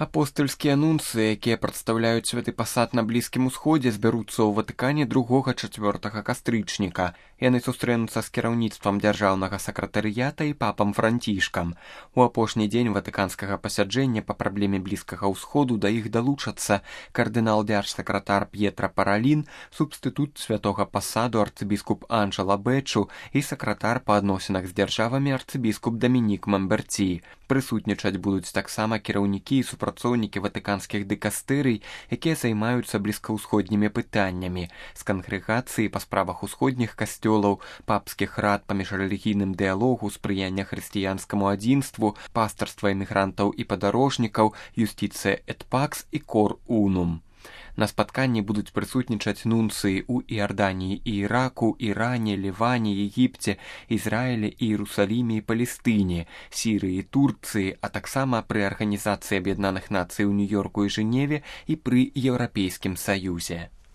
Апостальскія нунцыі, якія прадстаўляюць святы пасад на Блізкім Усходзе, збяруцца ў Ватыкане 2-4 кастрычніка. Яны сустрэнуцца з кіраўніцтвам дзяржаўнага сакратарыята і папам Францішкам. У апошні дзень ватыканскага пасяджэння па праблеме Блізкага Ўсходу да іх далучацца кардынал-дзярж-сакратар П'етра Паралін, субстытут святога пасаду арцыбіскуп Анджела Бэчу і сакратар па адносінах з дзяржавамі арцыбіскуп Дамінік Мамберці. Прысутнічаць будуць таксама кіраўнікі і супрацоўнікі ватыканскіх дыкастэрый, якія займаюцца блізкаўсходнімі пытаннямі, з кангрэгацыі па справах усходніх касцёлаў, папскіх рад па міжрэлігійным дыялогу, спрыяння хрысціянскаму адзінству, пастарства эмігрантаў і падарожнікаў, юстыцыя эт пакс і кор унум. На спатканні будуць прысутнічаць нунцыі ў Іарданіі і Іраку, Іране, Ліване, Егіпце, Ізраілі, Іерусаліме і Палестыне, Сірыі, Турцыі, а таксама пры Арганізацыі Аб'яднаных Нацый у Нью-Йорку і Жэневе і пры Еўрапейскім Саюзе.